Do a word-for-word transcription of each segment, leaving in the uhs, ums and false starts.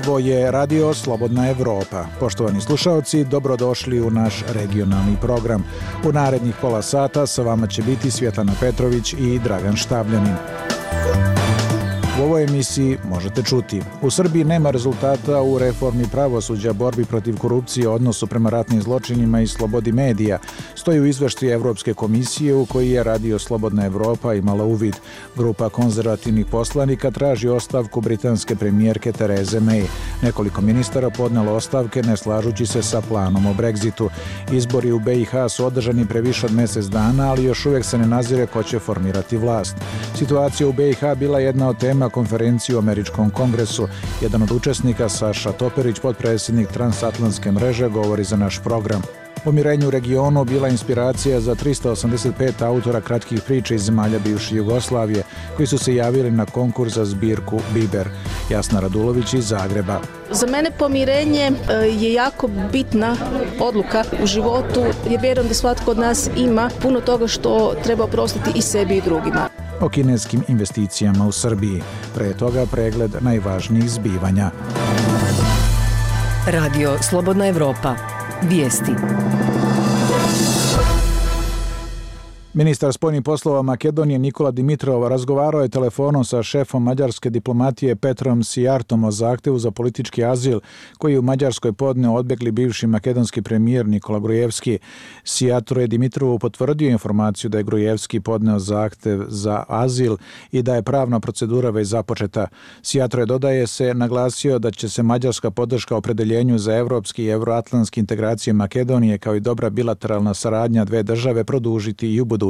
Ovo je Radio Slobodna Evropa. Poštovani slušaoci, dobrodošli u naš regionalni program. U narednih pola sata sa vama će biti Svjetlana Petrović i Dragan Štavljanin. U ovoj emisiji možete čuti: u Srbiji nema rezultata u reformi pravosuđa, borbi protiv korupcije, odnosu prema ratnim zločinima i slobodi medija. Stoji u izveštaju Evropske komisije u koji je Radio Slobodna Evropa imala uvid. Grupa konzervativnih poslanika traži ostavku britanske premijerke Tereze May. Nekoliko ministara podnelo ostavke ne slažući se sa planom o Brexitu. Izbori u B i H su održani pre više od mjesec dana, ali još uvijek se ne nazire ko će formirati vlast. Situacija u B i H bila jedna od tema konferenciji u Američkom kongresu. Jedan od učesnika, Saša Toperić, potpredsjednik Transatlantske mreže, govori za naš program. Pomirenje u regionu bila inspiracija za tristo osamdeset pet autora kratkih priča iz zemalja bivše Jugoslavije, koji su se javili na konkurs za zbirku Biber. Jasna Radulović iz Zagreba. Za mene pomirenje je jako bitna odluka u životu, jer vjerujem da svatko od nas ima puno toga što treba oprostiti i sebi i drugima. O kineskim investicijama u Srbiji. Pre toga pregled najvažnijih zbivanja. Radio Slobodna Evropa. Vijesti. Ministar spoljnih poslova Makedonije Nikola Dimitrov razgovarao je telefonom sa šefom mađarske diplomatije Petrom Sijartom o zahtevu za politički azil koji je u Mađarskoj podneo odbjegli bivši makedonski premijer Nikola Grujevski. Sijarto je Dimitrovu potvrdio informaciju da je Grujevski podneo zahtev za azil i da je pravna procedura već započeta. Sijarto je, dodaje se, naglasio da će se mađarska podrška opredeljenju za evropski i evroatlantski integracije Makedonije kao i dobra bilateralna saradnja dve države produžiti i u budućnosti.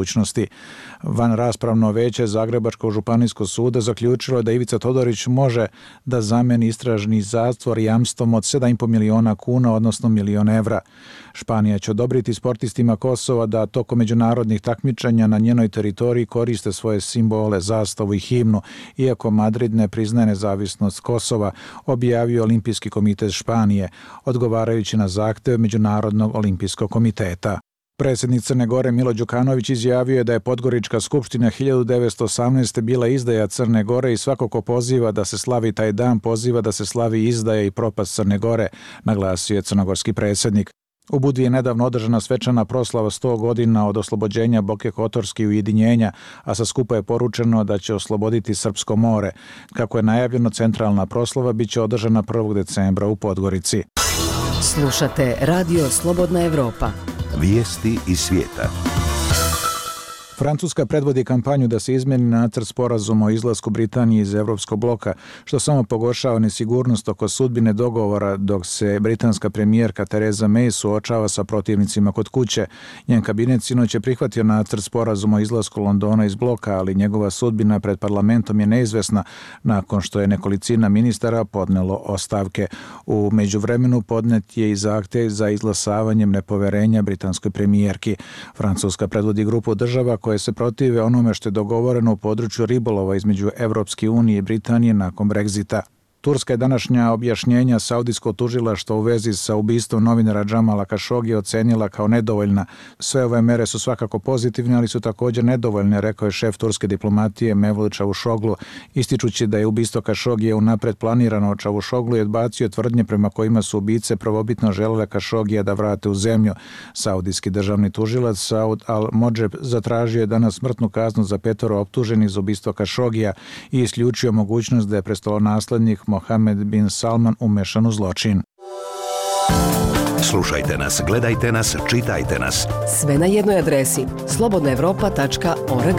Van raspravno veće Zagrebačkog županijskog suda zaključilo da Ivica Todorić može da zameni istražni zatvor jamstvom od sedam i po miliona kuna, odnosno milion evra. Španija će odobriti sportistima Kosova da tokom međunarodnih takmičenja na njenoj teritoriji koriste svoje simbole, zastavu i himnu, iako Madrid ne priznaje nezavisnost Kosova, objavio Olimpijski komitet Španije, odgovarajući na zahtev Međunarodnog olimpijskog komiteta. Predsjednik Crne Gore Milo Đukanović izjavio je da je Podgorička skupština hiljadu devetsto osamnaeste. bila izdaja Crne Gore i svako ko poziva da se slavi taj dan poziva da se slavi izdaja i propast Crne Gore, naglasio je crnogorski predsjednik. U Budvi je nedavno održana svečana proslava sto godina od oslobođenja Boke Kotorske i ujedinjenja, a sa skupa je poručeno da će osloboditi Srpsko more. Kako je najavljeno, centralna proslava biće održana prvog decembra u Podgorici. Slušate Radio Slobodna Evropa. Vijesti iz svijeta. Francuska predvodi kampanju da se izmeni nacrt sporazuma o izlasku Britanije iz Evropskog bloka, što samo pogoršava nesigurnost oko sudbine dogovora, dok se britanska premijerka Tereza May suočava sa protivnicima kod kuće. Njen kabinet sinoć je prihvatio nacrt sporazuma o izlasku Londona iz bloka, ali njegova sudbina pred parlamentom je neizvesna nakon što je nekolicina ministara podnelo ostavke. U međuvremenu podnet je i zahtjev za izglasavanjem nepoverenja britanskoj premijerki. Francuska predvodi grupu država koje se protive onome što je dogovoreno u području ribolova između Evropske unije i Britanije nakon Brexita. Turska je današnja objašnjenja saudijskog tužilaštva u vezi sa ubistvom novinara Džamala Kašogija ocenila kao nedovoljna. Sve ove mere su svakako pozitivne, ali su također nedovoljne, rekao je šef turske diplomatije Mevlut Čavuşoglu, ističući da je ubistvo Kašogija unapred planirano. Čavuşoglu je odbacio tvrdnje prema kojima su ubice prvobitno želele Kašogija da vrate u zemlju. Saudijski državni tužilac Saud al-Modžeb zatražio je danas smrtnu kaznu za petoro optuženih za ubistvo Kašogija i isključio mogućnost da je prestolonaslednik Mohamed bin Salman umešan u zločin. Slušajte nas, gledajte nas, čitajte nas. Sve na jednoj adresi slobodna evropa tačka org.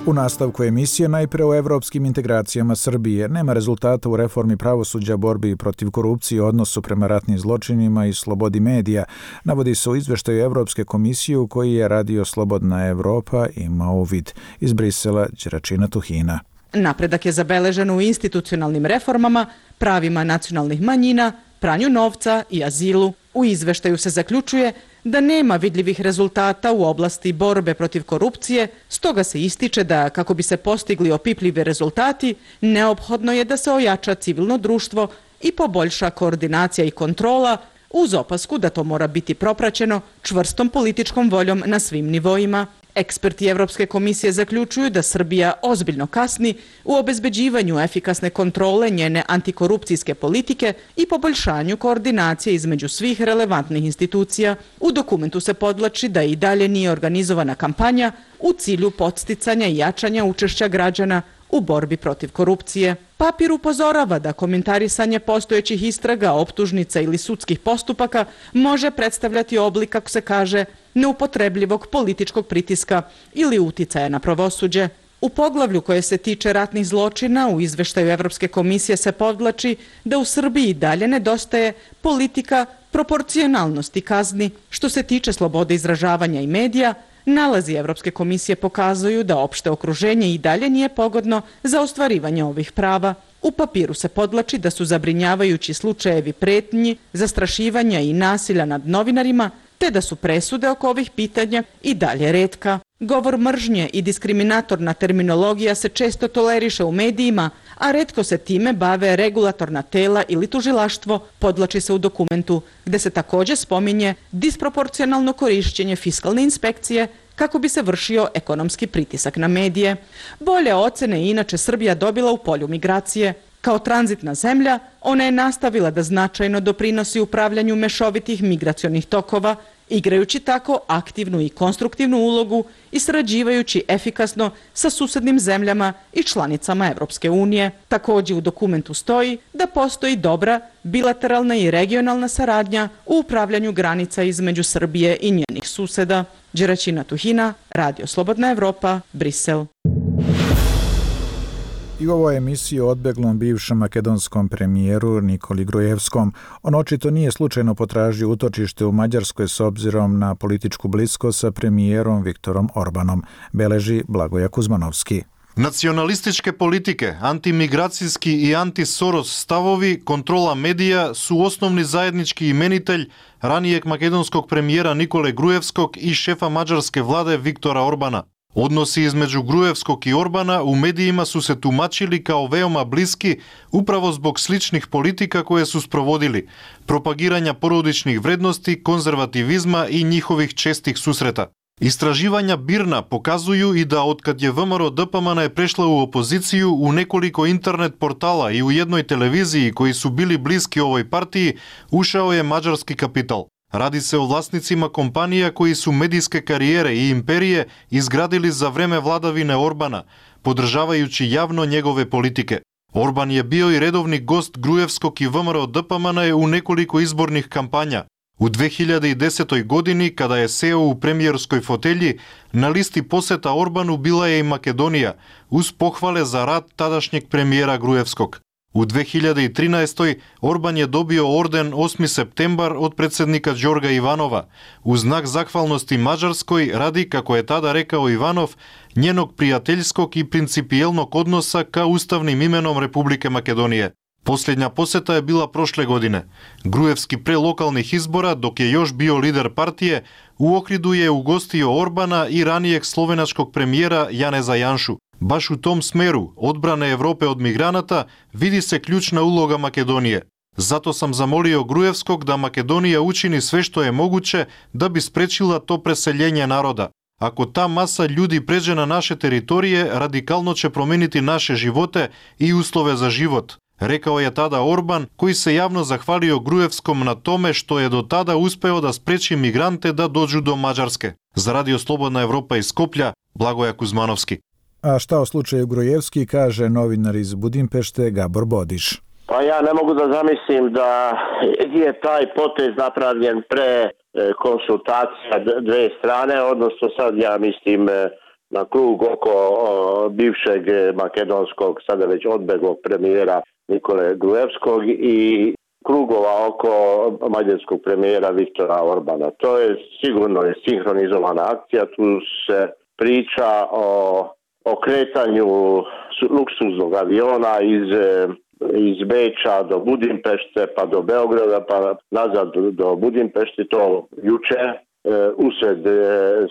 U nastavku emisije najpre o evropskim integracijama Srbije. Nema rezultata u reformi pravosuđa, borbi protiv korupcije, odnosu prema ratnim zločinima i slobodi medija, navodi se u izveštaju Evropske komisije u koji je Radio Slobodna Evropa imao uvid. Iz Brisela, Đeračina Tuhina. Napredak je zabeležen u institucionalnim reformama, pravima nacionalnih manjina, pranju novca i azilu. U izveštaju se zaključuje da nema vidljivih rezultata u oblasti borbe protiv korupcije, stoga se ističe da kako bi se postigli opipljivi rezultati, neophodno je da se ojača civilno društvo i poboljša koordinacija i kontrola, uz opasku da to mora biti propraćeno čvrstom političkom voljom na svim nivoima. Eksperti Evropske komisije zaključuju da Srbija ozbiljno kasni u obezbeđivanju efikasne kontrole njene antikorupcijske politike i poboljšanju koordinacije između svih relevantnih institucija. U dokumentu se podvlači da i dalje nije organizovana kampanja u cilju podsticanja i jačanja učešća građana u borbi protiv korupcije. Papir upozorava da komentarisanje postojećih istraga, optužnica ili sudskih postupaka može predstavljati oblik, kako se kaže, neupotrebljivog političkog pritiska ili uticaja na pravosuđe. U poglavlju koje se tiče ratnih zločina u izveštaju Evropske komisije se podvlači da u Srbiji dalje nedostaje politika proporcionalnosti kazni. Što se tiče slobode izražavanja i medija, nalazi Evropske komisije pokazuju da opšte okruženje i dalje nije pogodno za ostvarivanje ovih prava. U papiru se podvlači da su zabrinjavajući slučajevi pretnji, zastrašivanja i nasilja nad novinarima, te da su presude oko ovih pitanja i dalje retka. Govor mržnje i diskriminatorna terminologija se često toleriše u medijima, a retko se time bave regulatorna tela ili tužilaštvo, podvlači se u dokumentu, gde se također spominje disproporcionalno korišćenje fiskalne inspekcije kako bi se vršio ekonomski pritisak na medije. Bolje ocene je inače Srbija dobila u polju migracije. Kao tranzitna zemlja, ona je nastavila da značajno doprinosi upravljanju mešovitih migracionih tokova, igrajući tako aktivnu i konstruktivnu ulogu i sarađivajući efikasno sa susednim zemljama i članicama Evropske unije. Također u dokumentu stoji da postoji dobra bilateralna i regionalna saradnja u upravljanju granica između Srbije i njenih suseda. Đeraćina Tuhina, Radio Slobodna Evropa, Brisel. I u ovoj emisiji o odbeglom bivšem makedonskom premijeru Nikoli Grujevskom. On očito nije slučajno potražio utočište u Mađarskoj s obzirom na političku bliskost sa premijerom Viktorom Orbanom, beleži Blagoja Kuzmanovski. Nacionalističke politike, antimigracijski i anti-Soros stavovi, kontrola medija su osnovni zajednički imenitelj ranijeg makedonskog premijera Nikole Grujevskog i šefa mađarske vlade Viktora Orbana. Odnosi između Grujevskog i Orbana u medijima su se tumačili kao veoma bliski upravo zbog sličnih politika koje su sprovodili, propagiranja porodičnih vrednosti, konzervativizma i njihovih čestih susreta. Istraživanja Birna pokazuju i da otkad je V M R O D P M N je prešla u opoziciju u nekoliko internet portala i u jednoj televiziji koji su bili bliski ovoj partiji, ušao je mađarski kapital. Radi se o vlasnicima kompanija koji su medijske karijere i imperije izgradili za vreme vladavine Orbana, podržavajući javno njegove politike. Orban je bio i redovni gost Grujevskog i V M R O D P M N u nekoliko izbornih kampanja. U dve hiljade desetoj godini, kada je seo u premijerskoj fotelji, na listi poseta Orbanu bila je i Makedonija, uz pohvale za rad tadašnjeg premijera Grujevskog. U dve hiljade trinaestoj. Orban je dobio orden osmi septembar od predsjednika Đorga Ivanova, u znak zahvalnosti Mađarskoj radi, kako je tada rekao Ivanov, njenog prijateljskog i principijelnog odnosa ka ustavnim imenom Republike Makedonije. Posljednja poseta je bila prošle godine. Grujevski pre lokalnih izbora, dok je još bio lider partije, u Ohridu je ugostio Orbana i ranijeg slovenačkog premijera Janeza Janšu. Baš u tom smeru, odbrane Evrope od migranata, vidi se ključna uloga Makedonije. Zato sam zamolio Grujevskog da Makedonija učini sve što je moguće da bi sprečila to preseljenje naroda. Ako ta masa ljudi pređe na naše teritorije, radikalno će promijeniti naše živote i uslove za život, rekao je tada Orban, koji se javno zahvalio Grujevskom na tome što je do tada uspeo da spreči migrante da dođu do Mađarske. Za Radio Slobodna Evropa iz Skoplja, Blagoja Kuzmanovski. A šta o slučaju Grujevski, kaže novinar iz Budimpešte Gabor Bodiš. Pa ja ne mogu da zamislim da je taj potez napravljen pre konsultacija dve strane, odnosno sad ja mislim na krug oko bivšeg makedonskog, sada već odbeglog premijera Nikole Grujevskog i krugova oko mađarskog premijera Viktora Orbana. To je sigurno je sinhronizovana akcija, tu se priča o o kretanju luksuznog aviona iz, iz Beča do Budimpešte, pa do Beograda, pa nazad do Budimpešte, to juče, usred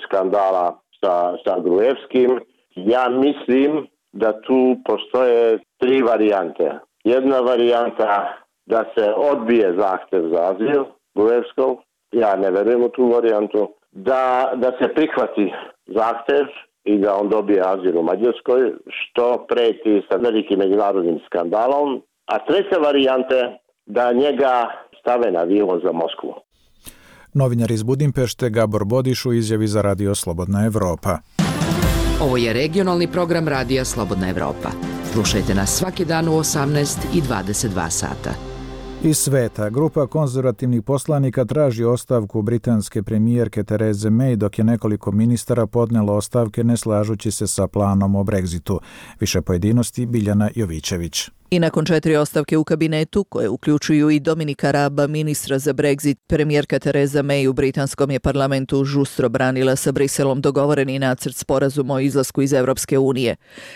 skandala sa, sa Grujevskim. Ja mislim da tu postoje tri varijante. Jedna varijanta da se odbije zahtev za azil Grujevskog, ja ne verujem u tu varijantu, da, da se prihvati zahtev i da on dobije azil u Mađarskoj, što preti sa velikim međunarodnim skandalom. A treća varijanta da njega stave na avion za Moskvu. Novinar iz Budimpešte Gabor Bodiš u izjavi za Radio Slobodna Evropa. Ovo je regionalni program Radija Slobodna Evropa. Slušajte nas svaki dan u osamnaest i dvadeset dva sata. Iz sveta, grupa konzervativnih poslanika traži ostavku britanske premijerke Tereze May, dok je nekoliko ministara podnelo ostavke ne slažući se sa planom o Brexitu. Više pojedinosti Biljana Jovićević. I nakon četiri ostavke u kabinetu, koje uključuju i Dominika Raba, ministra za Brexit, premijerka Tereza May u britanskom je parlamentu žustro branila sa Briselom dogovoreni nacrt sporazuma o izlasku iz Evropske unije.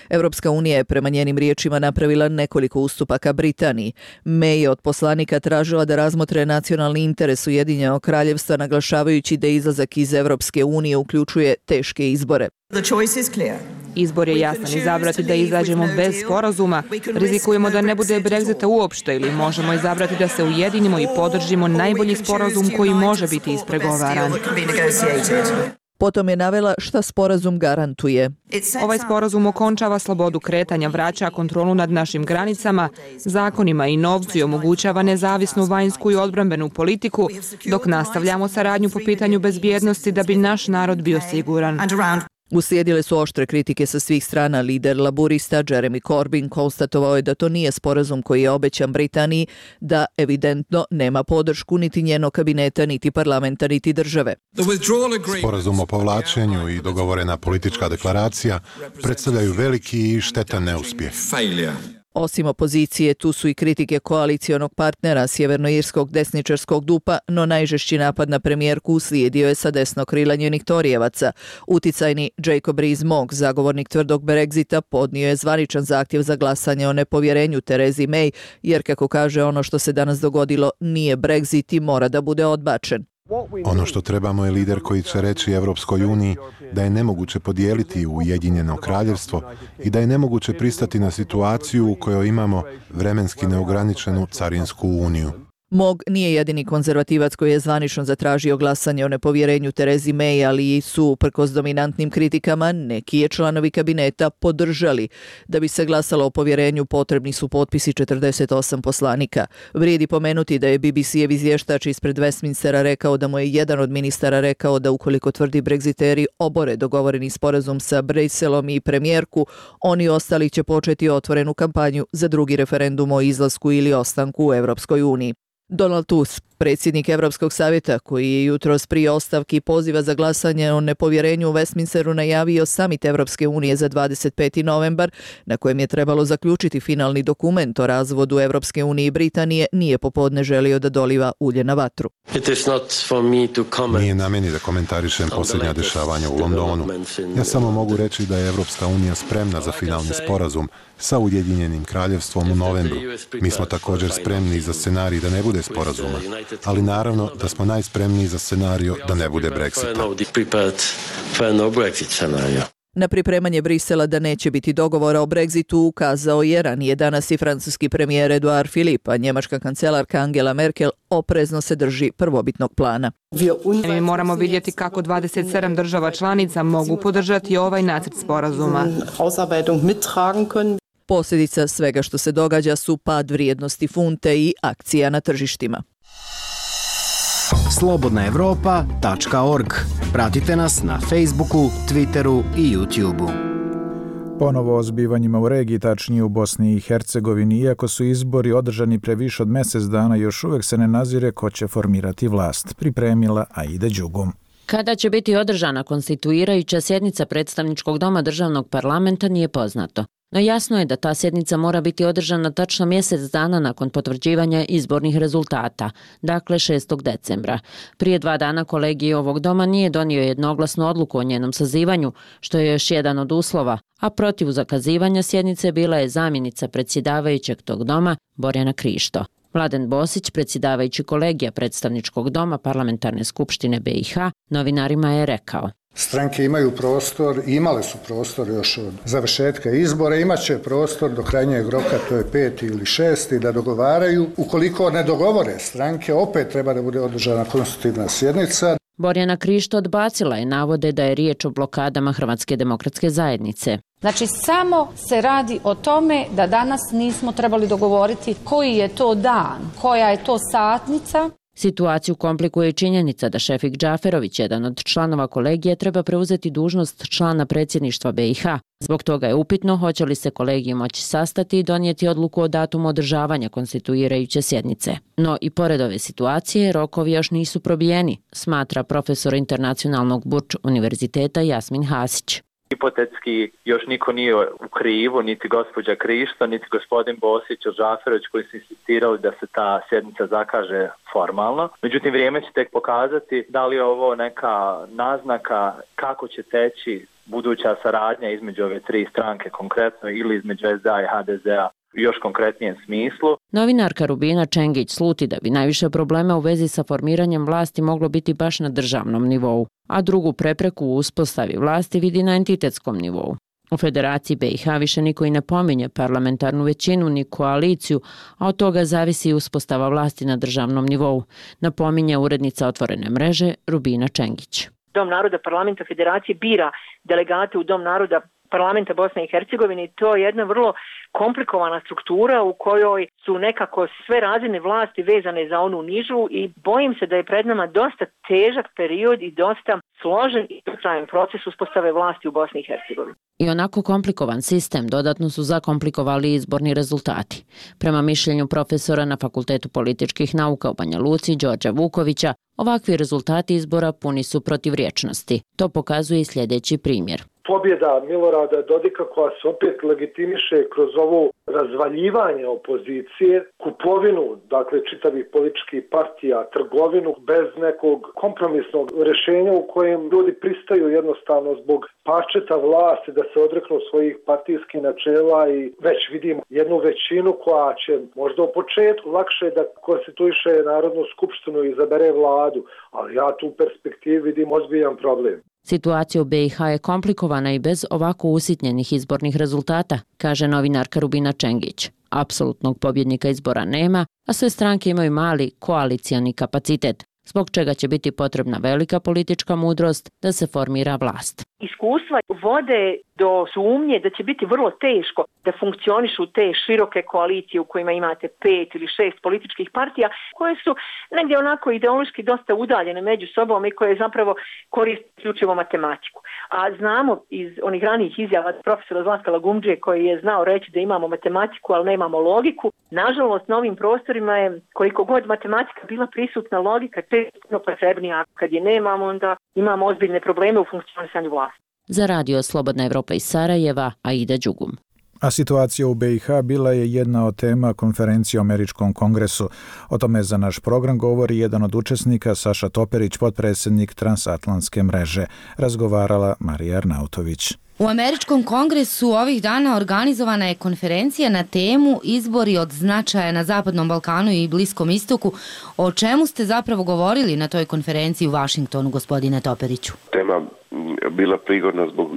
Evropska unija je prema njenim riječima napravila nekoliko ustupaka Britaniji. May je od poslanika tražila da razmotre nacionalni interes Ujedinjenog kraljevstva, naglašavajući da izlazak iz Evropske unije uključuje teške izbore. Izbor je jasan, izabrati da izađemo bez sporazuma, rizikujemo da ne bude Brexita uopšte ili možemo izabrati da se ujedinimo i podržimo najbolji sporazum koji može biti ispregovaran. Potom je navela šta sporazum garantuje. Ovaj sporazum okončava slobodu kretanja, vraća kontrolu nad našim granicama, zakonima i novcu i omogućava nezavisnu vanjsku i odbrambenu politiku, dok nastavljamo saradnju po pitanju bezbjednosti da bi naš narod bio siguran. Uslijedile su oštre kritike sa svih strana. Lider laburista Jeremy Corbyn konstatovao je da to nije sporazum koji je obećan Britaniji, da evidentno nema podršku niti njenog kabineta, niti parlamenta, niti države. Sporazum o povlačenju i dogovorena politička deklaracija predstavljaju veliki i štetan neuspjeh. Osim opozicije, tu su i kritike koalicijonog partnera sjevernoirskog desničarskog dupa, no najžešći napad na premijerku uslijedio je sa desnog krila njenih Torijevaca. Uticajni Jacob Rees-Mogg, zagovornik tvrdog Brexita, podnio je zvaničan zahtjev za glasanje o nepovjerenju Terezi May, jer kako kaže, ono što se danas dogodilo nije Brexit i mora da bude odbačen. Ono što trebamo je lider koji će reći Evropskoj uniji da je nemoguće podijeliti Ujedinjeno kraljevstvo i da je nemoguće pristati na situaciju u kojoj imamo vremenski neograničenu carinsku uniju. Mogg nije jedini konzervativac koji je zvanično zatražio glasanje o nepovjerenju Terezi May, ali su, uprkos dominantnim kritikama, neki je članovi kabineta podržali. Da bi se glasalo o povjerenju, potrebni su potpisi četrdeset osam poslanika. Vrijedi pomenuti da je B B C-ev izvještač ispred Westminstera rekao da mu je jedan od ministara rekao da ukoliko tvrdi Brexiteri obore dogovoreni sporazum sa Briselom i premijerku, oni ostali će početi otvorenu kampanju za drugi referendum o izlasku ili ostanku u Evropskoj uniji. Donald Tusk, predsjednik Europskog savjeta, koji je jutros prije ostavki poziva za glasanje o nepovjerenju u Westminsteru najavio samit Europske unije za dvadeset peti novembar, na kojem je trebalo zaključiti finalni dokument o razvodu Europske unije i Britanije, nije popodne želio da doliva ulje na vatru. Nije na meni da komentarišem posljednja dešavanja u Londonu. Ja samo mogu reći da je Europska unija spremna za finalni sporazum sa Ujedinjenim kraljevstvom u novembru. Mi smo također spremni za scenarij da ne bude sporazuma, ali naravno da smo najspremniji za scenariju da ne bude Brexita. Na pripremanje Brisela da neće biti dogovora o Brexitu ukazao je ranije danas i francuski premijer Edouard Philippe, a njemačka kancelarka Angela Merkel oprezno se drži prvobitnog plana. Mi moramo vidjeti kako dvadeset sedam država članica mogu podržati ovaj nacrt sporazuma. Posljedica svega što se događa su pad vrijednosti funte i akcija na tržištima. slobodna evropa tačka org. Pratite nas na Facebooku, Twitteru i YouTubeu. Ponovo o zbivanjima u regiji, tačnije u Bosni i Hercegovini, iako su izbori održani pre više od mjesec dana, još uvijek se ne nazire ko će formirati vlast. Pripremila Aida Đugum. Kada će biti održana konstituirajuća sjednica predstavničkog doma državnog parlamenta nije poznato. No jasno je da ta sjednica mora biti održana tačno mjesec dana nakon potvrđivanja izbornih rezultata, dakle šestog decembra. Prije dva dana kolegij ovog doma nije donio jednoglasnu odluku o njenom sazivanju, što je još jedan od uslova, a protiv zakazivanja sjednice bila je zamjenica predsjedavajućeg tog doma, Borjana Krišto. Mladen Bosić, predsjedavajući kolegija predstavničkog doma Parlamentarne skupštine B i H, novinarima je rekao: Stranke imaju prostor, imale su prostor još od završetka izbora, imat će prostor do krajnjeg roka, to je peti ili šesti, da dogovaraju. Ukoliko ne dogovore stranke, opet treba da bude održana konstitutivna sjednica. Borjana Krišto odbacila je navode da je riječ o blokadama Hrvatske demokratske zajednice. Znači samo se radi o tome da danas nismo trebali dogovoriti koji je to dan, koja je to satnica. Situaciju komplikuje i činjenica da Šefik Džaferović, jedan od članova kolegija, treba preuzeti dužnost člana predsjedništva B i H. Zbog toga je upitno hoće li se kolegij moći sastati i donijeti odluku o datumu održavanja konstituirajuće sjednice. No i pored ove situacije, rokovi još nisu probijeni, smatra profesor internacionalnog Burč univerziteta Jasmin Hasić. Hipotetski još niko nije u krivu, niti gospođa Krišto, niti gospodin Bosić ili Džaferović koji su insistirali da se ta sjednica zakaže formalno. Međutim, vrijeme će tek pokazati da li je ovo neka naznaka kako će teći buduća saradnja između ove tri stranke konkretno ili između S D A i H D Z-a u još konkretnijem smislu. Novinarka Rubina Čengić sluti da bi najviše problema u vezi sa formiranjem vlasti moglo biti baš na državnom nivou, a drugu prepreku u uspostavi vlasti vidi na entitetskom nivou. U Federaciji B i H više niko i ne pominje parlamentarnu većinu ni koaliciju, a od toga zavisi i uspostava vlasti na državnom nivou, napominje urednica Otvorene mreže Rubina Čengić. Dom naroda parlamenta Federacije bira delegate u Dom naroda parlamenta Bosne i Hercegovine i to je jedna vrlo komplikovana struktura u kojoj su nekako sve razine vlasti vezane za onu nižu i bojim se da je pred nama dosta težak period i dosta složen i dugotrajan proces uspostave vlasti u Bosni i Hercegovini. I onako komplikovan sistem dodatno su zakomplikovali izborni rezultati. Prema mišljenju profesora na Fakultetu političkih nauka u Banja Luci Đorđa Vukovića, ovakvi rezultati izbora puni su protivrječnosti. To pokazuje i sljedeći primjer. Pobjeda Milorada Dodika koja se opet legitimiše kroz ovo razvaljivanje opozicije, kupovinu, dakle čitavih političkih partija, trgovinu bez nekog kompromisnog rješenja u kojem ljudi pristaju jednostavno zbog pačeta vlasti da se odreknu svojih partijskih načela i već vidimo jednu većinu koja će možda u početku lakše da konstituiše Narodnu skupštinu i izabere vladu, ali ja tu perspektivu vidim ozbiljan problem. Situacija u B i H je komplikovana i bez ovako usitnjenih izbornih rezultata, kaže novinarka Rubina Čengić. Apsolutnog pobjednika izbora nema, a sve stranke imaju mali koalicijani kapacitet, zbog čega će biti potrebna velika politička mudrost da se formira vlast. Iskustva vode do sumnje da će biti vrlo teško da funkcionišu te široke koalicije u kojima imate pet ili šest političkih partija koje su negdje onako ideološki dosta udaljene među sobom i koje zapravo koriste isključivo matematiku. A znamo iz onih ranijih izjava profesora Zlatka Lagumdžije koji je znao reći da imamo matematiku, ali nemamo logiku. Nažalost, na ovim prostorima je koliko god matematika bila prisutna, logika često potrebnija. Kad je nemamo, onda imamo ozbiljne probleme u funkcionisanju vlasti. Za radio Slobodna Evropa iz Sarajeva, Aida Đugum. A situacija u B i H bila je jedna od tema konferencije o Američkom kongresu. O tome za naš program govori jedan od učesnika, Saša Toperić, potpredsjednik Transatlantske mreže. Razgovarala Marija Arnautović. U Američkom kongresu ovih dana organizovana je konferencija na temu izbori od značaja na Zapadnom Balkanu i Bliskom istoku. O čemu ste zapravo govorili na toj konferenciji u Vašingtonu, gospodine Toperiću? Tema bila prigodna zbog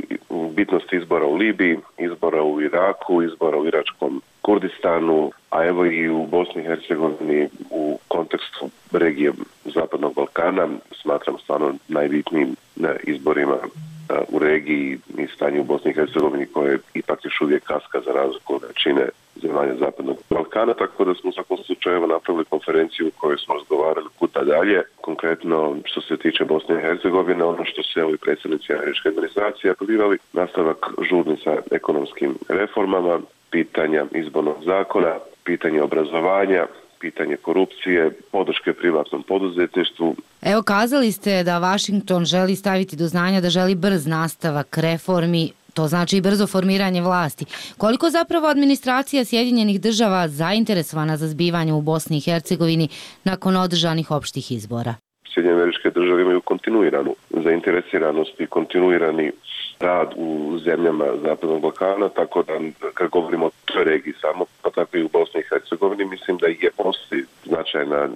bitnosti izbora u Libiji, izbora u Iraku, izbora u iračkom Kurdistanu, a evo i u Bosni i Hercegovini u kontekstu regije Zapadnog Balkana smatram stvarno najbitnijim izborima u regiji i stanje u Bosni i Hercegovini koje ipak još uvijek kaska za razliku od većine zemalja Zapadnog Balkana, tako da smo u svakom slučaju napravili konferenciju u kojoj smo razgovarali kuda dalje. Konkretno što se tiče Bosne i Hercegovine, ono što se ovi predsjednici američke administracije apelirali, nastavak žurni sa ekonomskim reformama, pitanja izbornog zakona, pitanje obrazovanja, pitanje korupcije, podrške privatnom poduzetništvu. Evo, kazali ste da Washington želi staviti do znanja da želi brz nastavak reformi, to znači i brzo formiranje vlasti. Koliko zapravo administracija Sjedinjenih država zainteresovana za zbivanje u Bosni i Hercegovini nakon održanih opštih izbora? Sjedinjene Američke Države imaju kontinuiranu zainteresiranost i kontinuirani rad u zemljama Zapadnog Balkana, tako da kad govorimo o toj regiji samo, pa tako i u Bosni i Hercegovini, mislim da je postoji značajna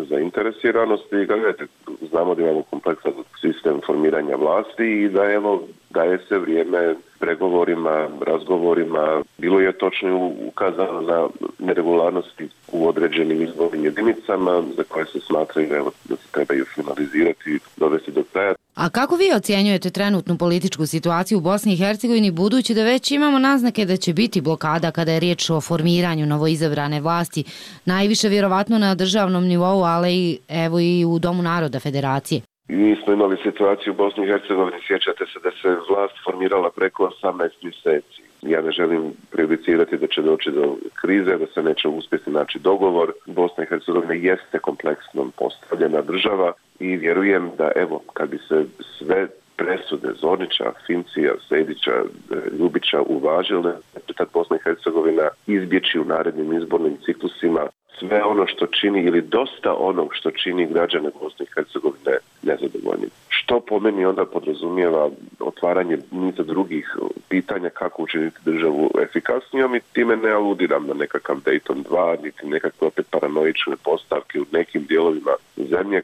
zainteresiranost i gledajte, znamo da imamo kompleksan sistem formiranja vlasti i da evo daje se vrijeme pregovorima, razgovorima. Bilo je točno ukazano na neregularnosti u određenim izbornim jedinicama za koje se smatraju evo, da se trebaju finalizirati i dovesti do kraja. A kako vi ocjenjujete trenutnu političku situaciju u Bosni i Hercegovini, budući da već imamo naznake da će biti blokada kada je riječ o formiranju novoizabrane vlasti, najviše vjerovatno na državnom nivou, ali i, evo i u Domu naroda Federacije? Mi smo imali situaciju u Bosni i Hercegovini, sjećate se da se vlast formirala preko osamnaest mjeseci. Ja ne želim prejudicirati da će doći do krize, da se neće uspjeti naći dogovor. Bosna i Hercegovina jeste kompleksno postavljena država i vjerujem da evo kad bi se sve presude Zornića, Fincija, Sejdića, Ljubića uvažile, tad Bosna i Hercegovina izbjeći u narednim izbornim ciklusima sve ono što čini ili dosta onog što čini građane Bosne i Hercegovine nezadovoljnim. Što po meni onda podrazumijeva otvaranje niza drugih pitanja kako učiniti državu efikasnijom i time ne aludiram na nekakav Dayton dva, niti nekakve opet paranoične postavke u nekim dijelovima zemlje.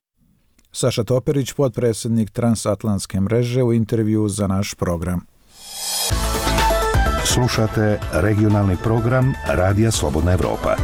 Saša Toperić, potpredsjednik Transatlantske mreže, u intervju za naš program. Slušate regionalni program Radija Slobodna Evropa.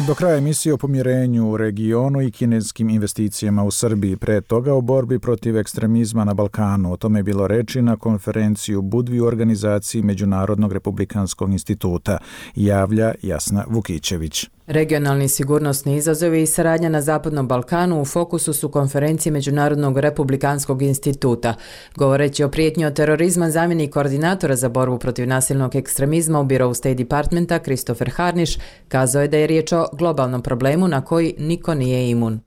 Do kraja emisije o pomirenju u regionu i kineskim investicijama u Srbiji, pre toga o borbi protiv ekstremizma na Balkanu. O tome je bilo reči na konferenciji u Budvi u organizaciji Međunarodnog republikanskog instituta, javlja Jasna Vukićević. Regionalni sigurnosni izazovi i saradnja na Zapadnom Balkanu u fokusu su konferencije Međunarodnog republikanskog instituta. Govoreći o prijetnji od terorizma, zamjenik koordinatora za borbu protiv nasilnog ekstremizma u birovu State Departmenta Christopher Harnish kazao je da je riječ o globalnom problemu na koji niko nije imun.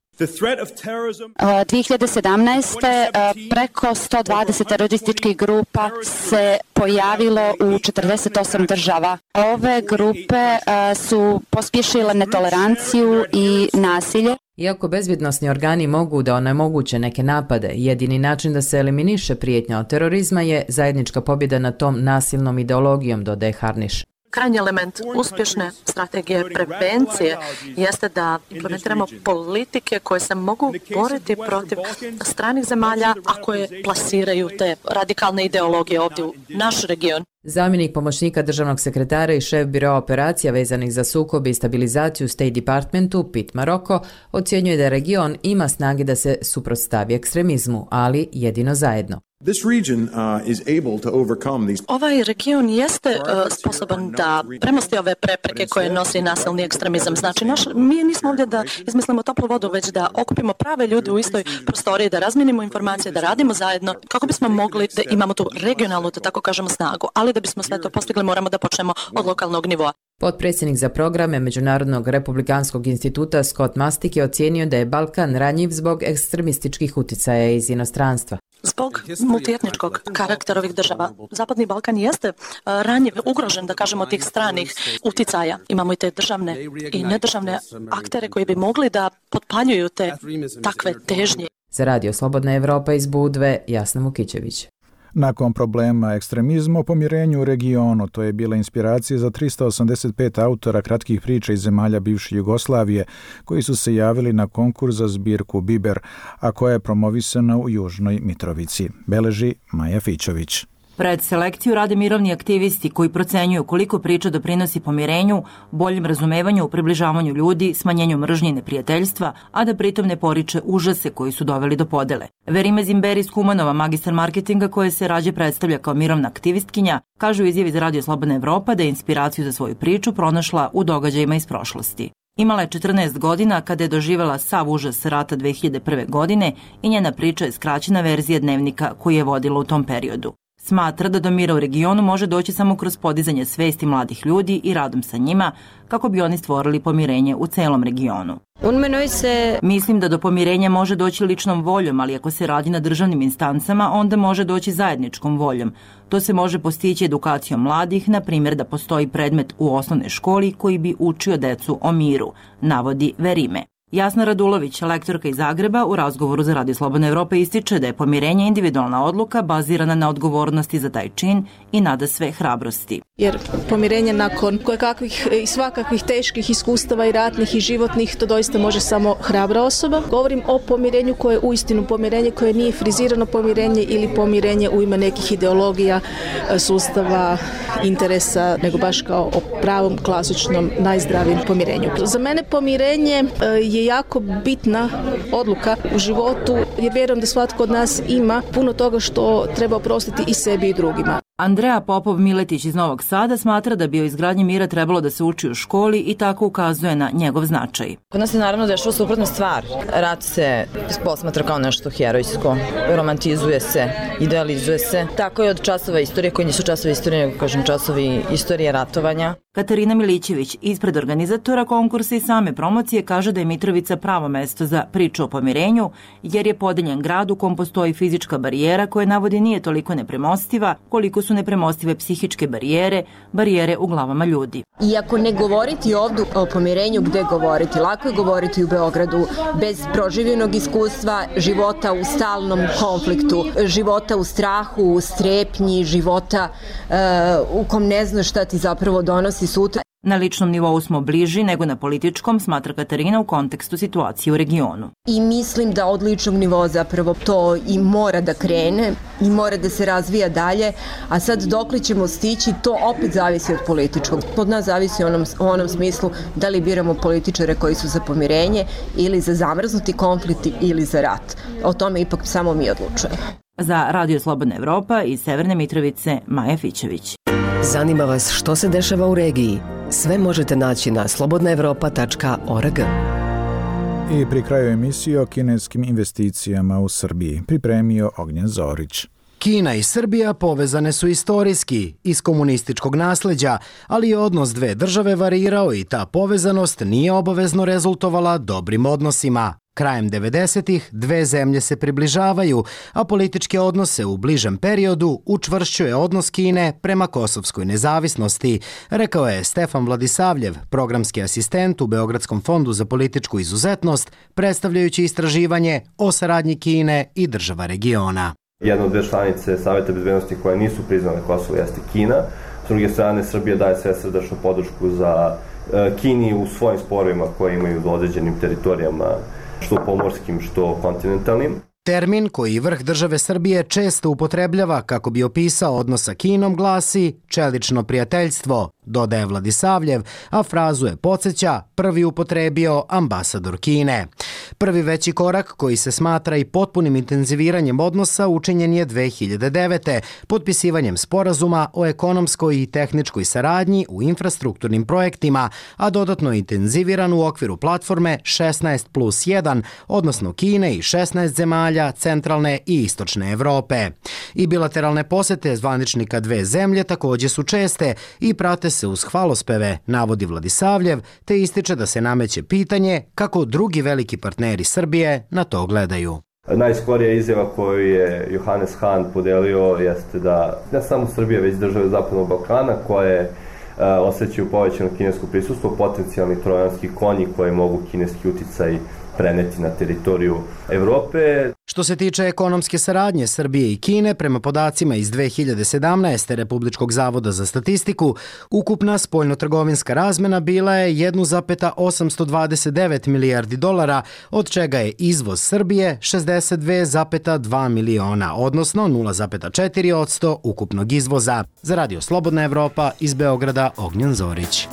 dvije hiljade sedamnaeste. preko sto dvadeset terorističkih grupa se pojavilo u četrdeset osam država. Ove grupe su pospješile netoleranciju i nasilje. Iako bezbjednosni organi mogu da onemoguće neke napade, jedini način da se eliminiše prijetnja od terorizma je zajednička pobjeda nad tom nasilnom ideologijom, dodaje Harnish. Krajnji element uspješne strategije prevencije jeste da implementiramo politike koje se mogu boriti protiv stranih zemalja, a koje plasiraju te radikalne ideologije ovdje u naš region. Zamjenik pomoćnika državnog sekretara i šef biroa operacija vezanih za sukob i stabilizaciju State Departmentu, Pete Marocco, ocjenjuje da region ima snage da se suprotstavi ekstremizmu, ali jedino zajedno. Ovaj region jeste uh, sposoban da premosti ove prepreke koje nosi nasilni ekstremizam. Znači, naš, mi nismo ovdje da izmislimo toplu vodu, već da okupimo prave ljude u istoj prostoriji, da razmijenimo informacije, da radimo zajedno, kako bismo mogli da imamo tu regionalnu, da tako kažemo, snagu. Ali da bismo sve to postigli, moramo da počnemo od lokalnog nivoa. Potpredsjednik za programe Međunarodnog republikanskog instituta Scott Mastik je ocijenio da je Balkan ranjiv zbog ekstremističkih uticaja iz inostranstva. Zbog multietničkog karaktera ovih država, Zapadni Balkan jeste ranjiv, ugrožen, da kažemo, tih stranih uticaja. Imamo i te državne i nedržavne aktere koji bi mogli da potpaljuju te takve težnje. Za Radio Slobodna Evropa iz Budve, Jasna Vukićević. Nakon problema ekstremizma o pomirenju u regionu, to je bila inspiracija za tristo osamdeset pet autora kratkih priča iz zemalja bivše Jugoslavije, koji su se javili na konkurs za zbirku Biber, a koja je promovisana u Južnoj Mitrovici. Beleži Maja Fićović. Pred selekciju rade mirovni aktivisti koji procenjuju koliko priča doprinosi pomirenju, boljem razumevanju, približavanju ljudi, smanjenju mržnje i neprijateljstva, a da pritom ne poriče užase koji su doveli do podele. Verime Zimberi iz Kumanova, magistar marketinga koja se rađe predstavlja kao mirovna aktivistkinja, kaže u izjavi za Radio Slobodna Evropa da je inspiraciju za svoju priču pronašla u događajima iz prošlosti. Imala je četrnaest godina kada je doživjela sav užas rata dve hiljade prve. godine i njena priča je skraćena verzija dnevnika koji je vodila u tom periodu. Smatra da do mira u regionu može doći samo kroz podizanje svesti mladih ljudi i radom sa njima kako bi oni stvorili pomirenje u celom regionu. Mislim da do pomirenja može doći ličnom voljom, ali ako se radi na državnim instancama, onda može doći zajedničkom voljom. To se može postići edukacijom mladih, na primjer da postoji predmet u osnovnoj školi koji bi učio decu o miru, navodi Verime. Jasna Radulović, lektorka iz Zagreba, u razgovoru za Radio Slobodna Evropa ističe da je pomirenje individualna odluka bazirana na odgovornosti za taj čin i nada sve hrabrosti. Jer pomirenje nakon kojekakvih i svakakvih teških iskustava i ratnih i životnih, to doista može samo hrabra osoba. Govorim o pomirenju koje je uistinu pomirenje, koje nije frizirano pomirenje ili pomirenje u ime nekih ideologija, sustava, interesa, nego baš kao o pravom, klasičnom, najzdravijem pomirenju. Za mene pomirenje je jako bitna odluka u životu, jer vjerujem da svatko od nas ima puno toga što treba oprostiti i sebi i drugima. Andreja Popov-Miletić iz Novog Sada smatra da bi o izgradnji mira trebalo da se uči u školi i tako ukazuje na njegov značaj. Kod nas se naravno dešava suprotna stvar. Rat se posmatra kao nešto herojsko, romantizuje se, idealizuje se. Tako je od časova istorije, koji nisu časovi istorije, nego kažem časovi istorije ratovanja. Katarina Milićević, ispred organizatora konkursa i same promocije, kaže da je Mitrovica pravo mesto za priču o pomirenju, jer je podeljen grad u kom postoji fizička barijera koja navodi nije toliko nepremostiva, koliko su nepremostive psihičke barijere, barijere u glavama ljudi. Iako ne govoriti ovdje o pomirenju, gde govoriti? Lako je govoriti u Beogradu bez proživljenog iskustva života u stalnom konfliktu, života u strahu, u strepnji, života uh, u kom ne znaš šta ti zapravo donosi sutra. Na ličnom nivou smo bliži nego na političkom, smatra Katarina u kontekstu situacije u regionu. I mislim da od ličnog nivoa zapravo to i mora da krene i mora da se razvija dalje, a sad dokle ćemo stići, to opet zavisi od političkog. Od nas zavisi u onom, u onom smislu da li biramo političare koji su za pomirenje ili za zamrznuti konflikt ili za rat. O tome ipak samo mi odlučujemo. Za Radio Slobodna Evropa iz Severne Mitrovice, Maja Fićević. Zanima vas što se dešava u regiji? Sve možete naći na slobodna evropa tačka org. I pri kraju emisije o kineskim investicijama u Srbiji pripremio Ognjen Zorić. Kina i Srbija povezane su istorijski, iz komunističkog nasleđa, ali je odnos dve države varirao i ta povezanost nije obavezno rezultovala dobrim odnosima. Krajem devedesetih dve zemlje se približavaju, a političke odnose u bližem periodu učvršćuje odnos Kine prema kosovskoj nezavisnosti, rekao je Stefan Vladisavljev, programski asistent u Beogradskom fondu za političku izuzetnost, predstavljajući istraživanje o saradnji Kine i država regiona. Jedna od dve članice Saveta bezbednosti koje nisu priznale Kosovo jeste Kina. S druge strane, Srbija daje svesrdečnu podršku za Kini u svojim sporovima koje imaju do određenim teritorijama, što pomorskim, što kontinentalnim. Termin koji vrh države Srbije često upotrebljava kako bi opisao odnos sa Kinom glasi čelično prijateljstvo, dodaje Vladisavljev, a frazu je podsjeća prvi upotrebio ambasador Kine. Prvi veći korak koji se smatra i potpunim intenziviranjem odnosa učinjen je dve hiljade devete. potpisivanjem sporazuma o ekonomskoj i tehničkoj saradnji u infrastrukturnim projektima, a dodatno intenziviran u okviru platforme šesnaest plus jedan, odnosno Kine i šesnaest zemalja centralne i istočne Evrope. I bilateralne posete zvaničnika dve zemlje također su česte i prate se uz hvalospeve, navodi Vladisavljev, te ističe da se nameće pitanje kako drugi veliki partneri Srbije na to gledaju. Najskorija izjava koju je Johannes Hahn podelio jeste da ne samo Srbija, već države Zapadnog Balkana koje uh, osjećaju povećano kinesko prisustvo, potencijalni trojanski konji koji mogu kineski uticaj preneti na teritoriju Evrope. Što se tiče ekonomske saradnje Srbije i Kine, prema podacima iz dve hiljade sedamnaeste. Republičkog zavoda za statistiku, ukupna spoljnotrgovinska razmena bila je jedan zarez osamsto dvadeset devet milijardi dolara, od čega je izvoz Srbije šezdeset dve zarez dva miliona, odnosno nula zarez četiri posto ukupnog izvoza. Za Radio Slobodna Evropa iz Beograda, Ognjen Zorić.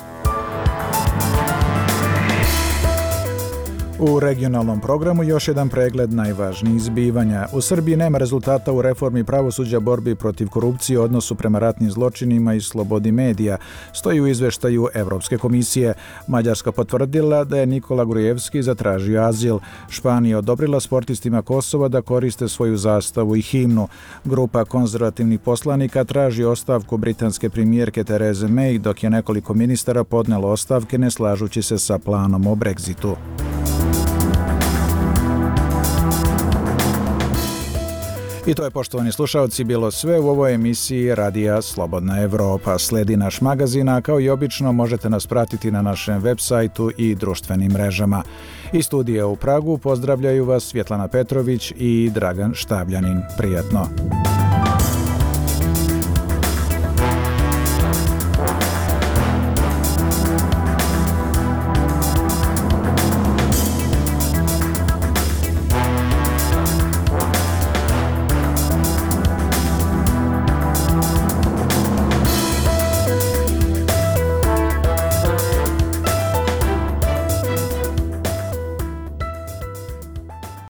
U regionalnom programu još jedan pregled najvažnijih zbivanja. U Srbiji nema rezultata u reformi pravosuđa, borbi protiv korupcije, odnosu prema ratnim zločinima i slobodi medija, stoji u izveštaju Evropske komisije. Mađarska potvrdila da je Nikola Grujevski zatražio azil. Španija odobrila sportistima Kosova da koriste svoju zastavu i himnu. Grupa konzervativnih poslanika traži ostavku britanske premijerke Therese May, dok je nekoliko ministara podnelo ostavke ne slažući se sa planom o Brexitu. I to je, poštovani slušalci, bilo sve u ovoj emisiji Radija Slobodna Evropa. Sledi naš magazin, a kao i obično možete nas pratiti na našem web sajtu i društvenim mrežama. Iz studija u Pragu pozdravljaju vas Svjetlana Petrović i Dragan Štabljanin. Prijatno!